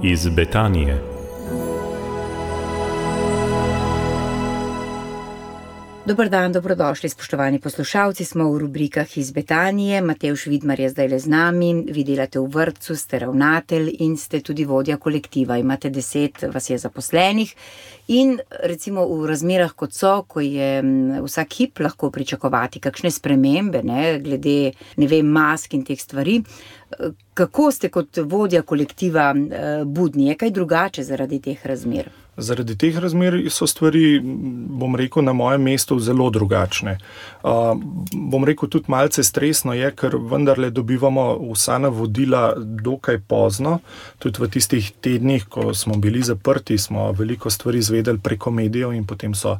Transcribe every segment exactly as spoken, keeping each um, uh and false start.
iz Betanije. Dober dan, dobrodošli, spoštovani poslušalci, smo v rubrikah iz Betanije. Matevž Vidmar je zdaj le z nami, vi delate v vrtcu, ste ravnatelj in ste tudi vodja kolektiva. Imate deset vas je zaposlenih in recimo v razmerah kot so, ko je vsak hip lahko pričakovati kakšne spremembe, ne, glede, ne vem, mask in teh stvari. Kako ste kot vodja kolektiva budni? Je kaj drugače zaradi teh razmer? Zaradi teh razmer so stvari, bom rekel, na mojem mestu zelo drugačne. Uh, bom rekel, tudi malce stresno je, ker vendarle dobivamo vsa navodila dokaj pozno. Tudi v tistih tednih, ko smo bili zaprti, smo veliko stvari izvedeli preko medijev in potem so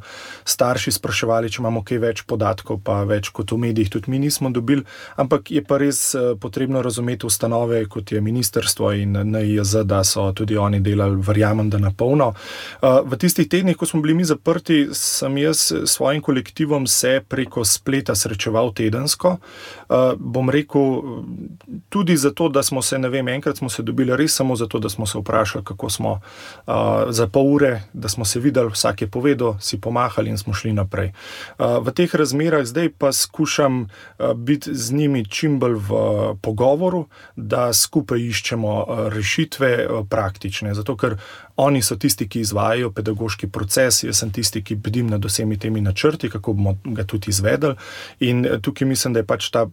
starši spraševali, če imamo kaj več podatkov, pa več kot v medijih tudi mi nismo dobili. Ampak je pa res potrebno razumeti ustanove, kot je ministrstvo in N I J Z, da so tudi oni delali, verjamem, da na polno. V tistih tednih, ko smo bili mi zaprti, sem jaz s svojim kolektivom se preko spleta srečeval tedensko. Bom rekel, tudi zato, da smo se, ne vem, enkrat smo se dobili res samo zato, da smo se vprašali, kako smo za pol ure, da smo se videli, vsak je povedal, si pomahali in smo šli naprej. V teh razmerah zdaj pa skušam biti z njimi čim bolj v pogovoru, da skupaj iščemo rešitve praktične, zato ker oni so tisti, ki izvajajo pedagoški proces, jaz sem tisti, ki bdim nad vsemi temi načrti, kako bomo ga tudi izvedeli. In tukaj mislim, da je pač ta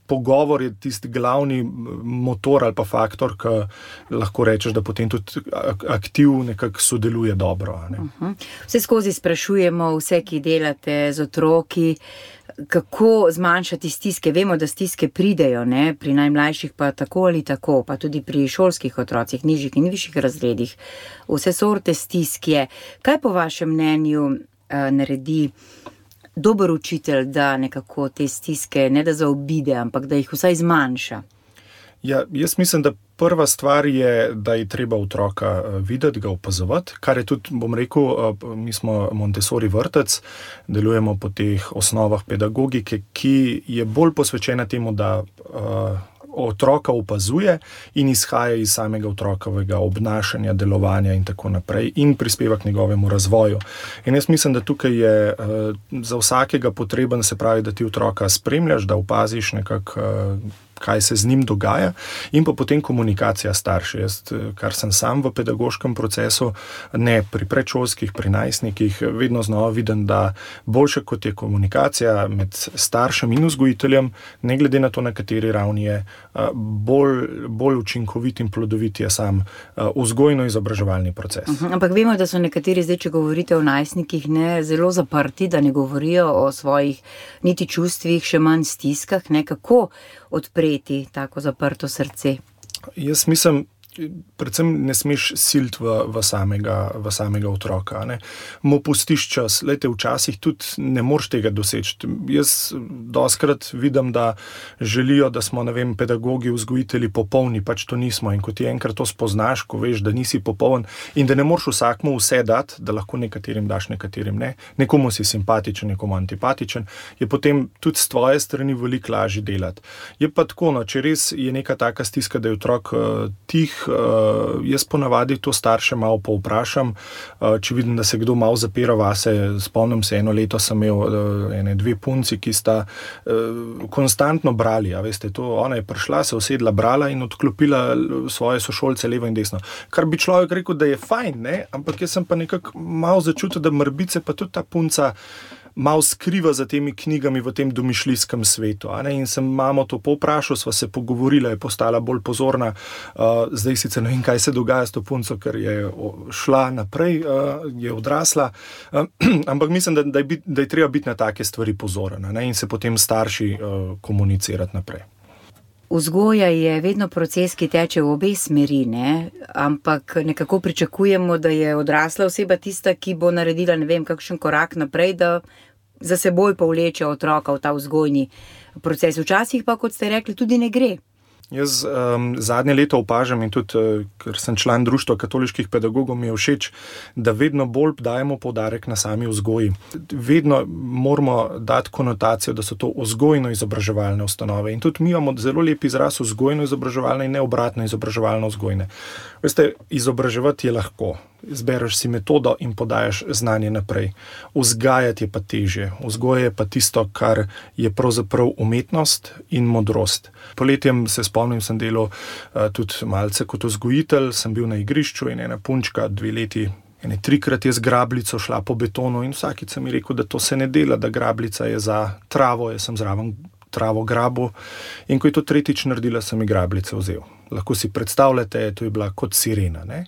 pogovor je tisti glavni motor ali pa faktor, ki lahko rečeš, da potem tudi aktiv nekako sodeluje dobro. Ne? Uh-huh. Vse skozi sprašujemo vse, ki delate z otroki, kako zmanjšati stiske. Vemo, da stiske pridejo, ne? Pri najmlajših pa tako ali tako, pa tudi pri šolskih otrocih, nižjih in višjih razredih. Vse sorte stisk je. Kaj po vašem mnenju uh, naredi dober učitelj, da nekako te stiske ne da zaobide, ampak da jih vsaj zmanjša? Ja, jaz mislim, da prva stvar je, da je treba otroka videti, ga opazovati, kar je tudi, bom rekel, mi smo Montessori vrtec, delujemo po teh osnovah pedagogike, ki je bolj posvečena temu, da uh, otroka opazuje in izhaja iz samega otrokovega obnašanja, delovanja in tako naprej in prispeva k njegovemu razvoju. In jaz mislim, da tukaj je uh, za vsakega potreben, se pravi, da ti otroka spremljaš, da opaziš nekako uh, kaj se z njim dogaja in pa potem komunikacija starši. Jaz, kar sem sam v pedagoškem procesu, ne pri predšolskih, pri najstnikih, vedno znova vidim, da boljše kot je komunikacija med staršem in vzgojiteljem, ne glede na to, na kateri ravni je, bolj, bolj učinkovit in plodovit je sam vzgojno-izobraževalni proces. Uh-huh. Ampak vemo, da so nekateri zdaj, če govorite o najstnikih, ne, zelo zaprti, da ne govorijo o svojih niti čustvih, še manj stiskah, ne, kako odpreti tako zaprto srce? Jaz mislim, predvsem ne smeš siliti v, v, samega, v samega otroka. Ne. Mu pustiš čas. Lejte, včasih tudi ne moreš tega doseči. Jaz dostikrat vidim, da želijo, da smo, ne vem, pedagogi, vzgojitelji popolni, pač to nismo. In ko ti enkrat to spoznaš, ko veš, da nisi popoln in da ne moreš vsakmu vse dati, da lahko nekaterim daš, nekaterim ne, nekomu si simpatičen, nekomu antipatičen, je potem tudi s tvoje strani veliko lažje delati. Je pa tako, no, če res je neka taka stiska, da je otrok uh, tih, Uh, jaz ponavadi to starše malo povprašam, uh, če vidim, da se kdo malo zapira vase. Spomnim se, eno leto sem imel uh, ene dve punci, ki sta uh, konstantno brali, a veste, to, ona je prišla, se usedla, brala in odklopila svoje sošolce levo in desno. Kar bi človek rekel, da je fajn, ne? Ampak jaz sem pa nekako malo začutil, da mrbice pa tudi ta punca malo skriva za temi knjigami v tem domišljijskem svetu. A ne? In sem mamo to povprašal, sva se pogovorila, je postala bolj pozorna. Uh, zdaj sicer ne vem, kaj se dogaja s to punco, ker je šla naprej, uh, je odrasla. Uh, ampak mislim, da, da, je bit, da je treba biti na take stvari pozoren, ne? In se potem starši uh, komunicirati naprej. Vzgoja je vedno proces, ki teče v obe smeri, ne? Ampak nekako pričakujemo, da je odrasla oseba tista, ki bo naredila, ne vem, kakšen korak naprej, da za seboj povleče otroka v ta vzgojni proces. Včasih pa, kot ste rekli, tudi ne gre. Jaz um, zadnje leto opažam in tudi, uh, ker sem član Društva katoliških pedagogov, mi je všeč, da vedno bolj dajemo poudarek na sami vzgoji. Vedno moramo dati konotacijo, da so to vzgojno-izobraževalne ustanove. In tudi mi imamo zelo lep izraz vzgojno-izobraževalne in ne obratno izobraževalno-vzgojne. Veste, izobraževati je lahko. Izbereš si metodo in podajaš znanje naprej. Vzgajati je pa težje. Vzgoja je pa tisto, kar je pravzaprav umetnost in modrost. Poletjem se spomnim, sem delal uh, tudi malce kot vzgojitelj, sem bil na igrišču in ena punčka, dve leti, ene trikrat je z grabljico šla po betonu in vsakič sem mi rekel, da to se ne dela, da grabljica je za travo, jaz sem zraven travo grabu in ko je to tretjič naredila, sem ji grabljice vzel. Lahko si predstavljate, to je bila kot sirena. Ne?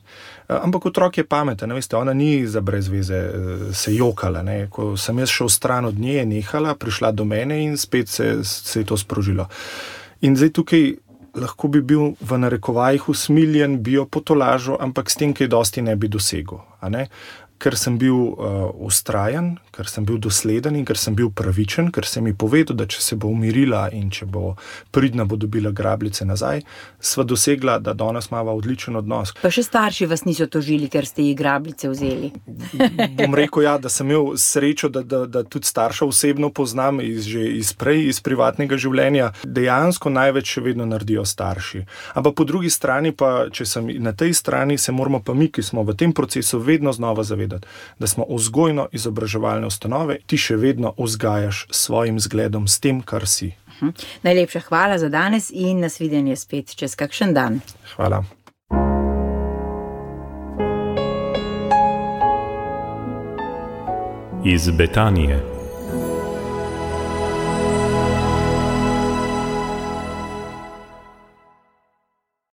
Ampak otrok je pameten, veste, ona ni za brez veze se jokala. Ne? Ko sem jaz šel stran od nje, je nehala, prišla do mene in spet se, se je to sprožilo. In zdaj tukaj lahko bi bil v narekovajih usmiljen, bi jo potolažil, ampak s tem, kaj dosti ne bi dosegel. A ne? Ker sem bil uh, vztrajen, ker sem bil dosleden in ker sem bil pravičen, ker sem ji povedal, da če se bo umirila in če bo pridna, bo dobila grabljice nazaj, sva dosegla, da danes imava odličen odnos. Pa še starši vas niso tožili, ker ste ji grabljice vzeli. Bom rekel, ja, da sem imel srečo, da, da, da tudi starša osebno poznam iz, že iz prej, iz privatnega življenja. Dejansko največ še vedno naredijo starši. Ampak po drugi strani pa, če sem na tej strani, se moramo pa mi, ki smo v tem procesu, vedno znova zavedati, da smo vzgojno-izobraževalne ustanove, ti še vedno vzgajaš svojim zgledom s tem, kar si. Uh-huh. Najlepša hvala za danes in nasvidenje spet čez kakšen dan. Hvala. Iz Betanije.